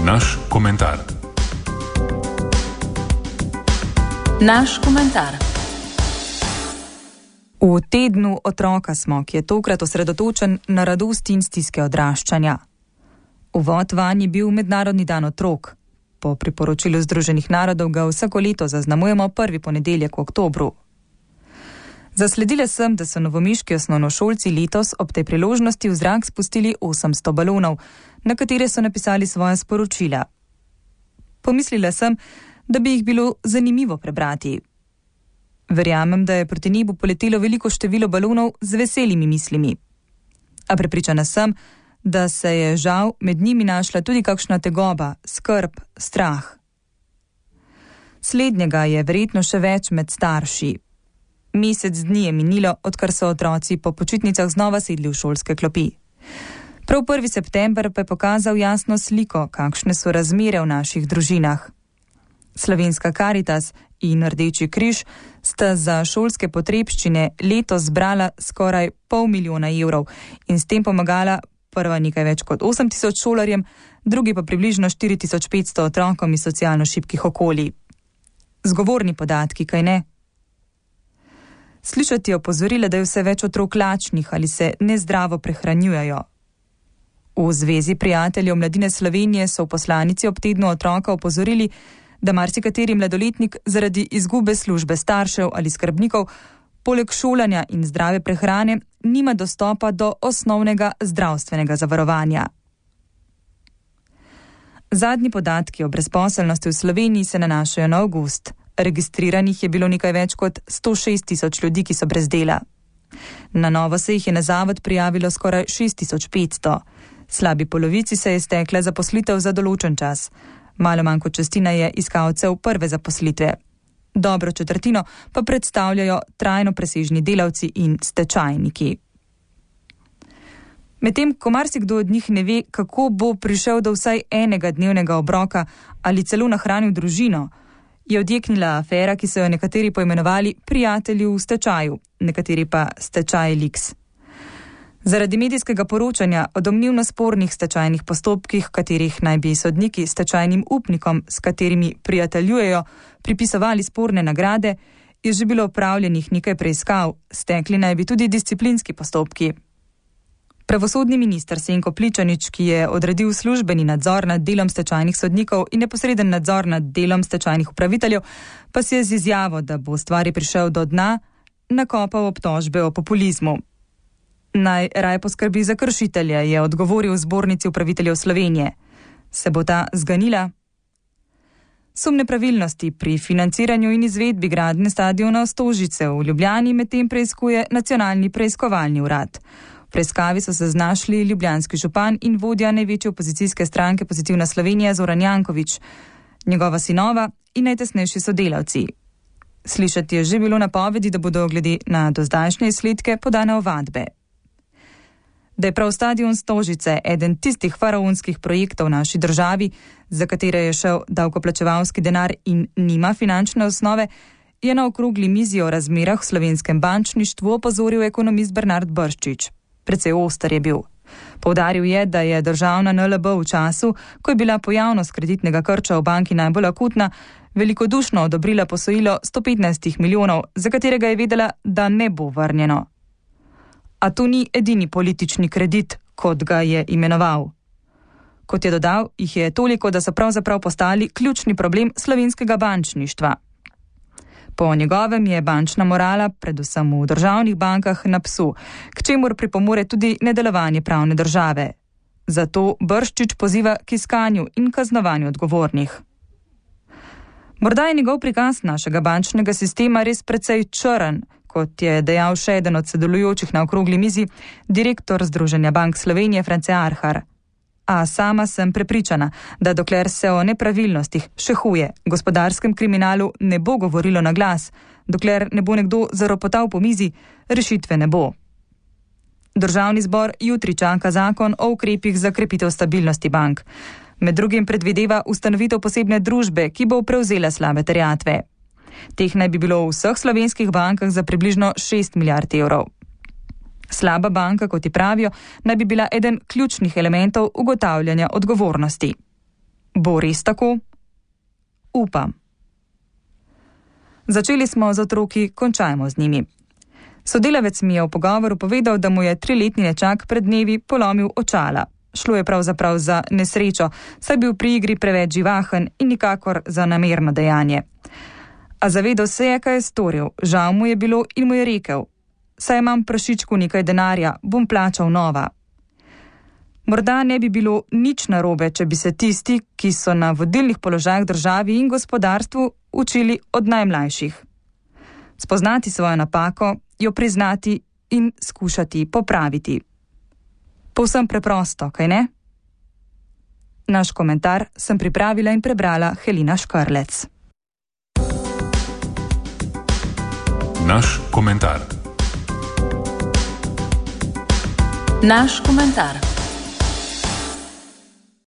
Naš komentar. Naš komentar. V tednu otroka smo, ki je tokrat osredotočen na radost in stiske odraščanja. Uvod vanj je bil Mednarodni dan otrok. Po priporočilu Združenih narodov ga vsako leto zaznamujemo prvi ponedeljek v oktobru. Zasledila sem, da so novomeški osnovnošolci letos ob tej priložnosti v zrak spustili 800 balonov, na katere so napisali svoja sporočila. Pomislila sem, da bi jih bilo zanimivo prebrati. Verjamem, da je proti nebu poletelo veliko število balonov z veselimi mislimi. A prepričana sem, da se je žal med njimi našla tudi kakšna tegoba, skrb, strah. Slednjega je verjetno še več med starši. Mesec dni je minilo, odkar so otroci po počitnicah znova sedli v šolske klopi. Prav 1. september pa je pokazal jasno sliko, kakšne so razmere v naših družinah. Slovenska Karitas in Rdeči križ sta za šolske potrebščine letos zbrala skoraj 500 000 evrov in s tem pomagala prva nekaj več kot 8000 šolarjem, drugi pa približno 4500 otrokom iz socialno šibkih okolij. Zgovorni podatki, kaj ne? Slišati je opozorila, da je vse več otrok lačnih ali se nezdravo prehranjujejo. V Zvezi prijateljev Mladine Slovenije so v poslanici ob tednu otroka opozorili, da marsikateri mladoletnik zaradi izgube službe staršev ali skrbnikov poleg šolanja in zdrave prehrane nima dostopa do osnovnega zdravstvenega zavarovanja. Zadnji podatki o brezposelnosti v Sloveniji se nanašajo na avgust. Registriranih je bilo nekaj več kot 106 000 ljudi, ki so brez dela. Na novo se jih je na zavod prijavilo skoraj 6500. Slabi polovici se je stekla zaposlitev za določen čas. Malo manj kot četrtina je iskalcev prve zaposlitve. Dobro četrtino pa predstavljajo trajno presežni delavci in stečajniki. Medtem ko marsikdo od njih ne ve, kako bo prišel do vsaj enega dnevnega obroka ali celo nahranil družino, je odjeknila afera, ki so jo nekateri poimenovali prijatelji v stečaju, nekateri pa stečaj Liks. Zaradi medijskega poročanja o domnevno spornih stečajnih postopkih, katerih naj bi sodniki stečajnim upnikom, s katerimi prijateljujejo, pripisovali sporne nagrade, je že bilo opravljenih nekaj preiskav, stekli naj bi tudi disciplinski postopki. Pravosodni minister Senko Pličanič, ki je odredil službeni nadzor nad delom stečajnih sodnikov in neposreden nadzor nad delom stečajnih upraviteljev, pa si je z izjavo, da bo stvari prišel do dna, nakopal obtožbe o populizmu. Naj raje poskrbi za kršitelje, je odgovoril v Zbornici upraviteljev Slovenije. Se bo ta zganila? Sum nepravilnosti pri financiranju in izvedbi gradnje stadiona Stožice v Ljubljani medtem preiskuje Nacionalni preiskovalni urad. V preiskavi so se znašli ljubljanski župan in vodja največje opozicijske stranke Pozitivna Slovenija Zoran Janković, njegova sinova in najtesnejši sodelavci. Slišati je že bilo napovedi, da bodo glede na dozdajšnje izsledke podane ovadbe. Da je prav stadion Stožice eden tistih faraonskih projektov v naši državi, za katere je šel davkoplačevalski denar in nima finančne osnove, je na okrogli mizi o razmerah v slovenskem bančništvu opozoril ekonomist Bernard Brščič. Precej oster je bil. Poudaril je, da je državna NLB v času, ko je bila pojavnost kreditnega krča v banki najbolj akutna, velikodušno odobrila posojilo 115 milijonov, za katerega je vedela, da ne bo vrnjeno. A to ni edini politični kredit, kot ga je imenoval. Kot je dodal, jih je toliko, da so pravzaprav postali ključni problem slovenskega bančništva. Po njegovem je bančna morala, predvsem v državnih bankah, na psu, k čemur pripomore tudi nedelovanje pravne države. Zato Brščič poziva k iskanju in kaznovanju odgovornih. Morda je njegov prikaz našega bančnega sistema res precej črn, kot je dejal še eden od sodelujočih na okrogli mizi, direktor Združenja bank Slovenije France Arhar. A sama sem prepričana, da dokler se o nepravilnostih, še huje, gospodarskem kriminalu ne bo govorilo na glas, dokler ne bo nekdo zaropotal po mizi, rešitve ne bo. Državni zbor jutri čaka zakon o ukrepih za krepitev stabilnosti bank. Med drugim predvideva ustanovitev posebne družbe, ki bo prevzela slabe terjatve. Teh naj bi bilo v vseh slovenskih bankah za približno 6 milijard evrov. Slaba banka, kot ji pravijo, naj bi bila eden ključnih elementov ugotavljanja odgovornosti. Bo res tako? Upam. Začeli smo z otroki, končajmo z njimi. Sodelavec mi je v pogovoru povedal, da mu je 3-letni nečak pred dnevi polomil očala. Šlo je pravzaprav za nesrečo, saj bil pri igri preveč živahen in nikakor za namerno dejanje. A zavedal se je, kaj je storil, žal mu je bilo in mu je rekel: saj imam prašičku nekaj denarja, bom plačal nova. Morda ne bi bilo nič narobe, če bi se tisti, ki so na vodilnih položajih državi in gospodarstvu, učili od najmlajših. Spoznati svojo napako, jo priznati in skušati popraviti. Povsem preprosto, kaj ne? Naš komentar sem pripravila in prebrala Helina Škrlec. Naš komentar. Naš komentar.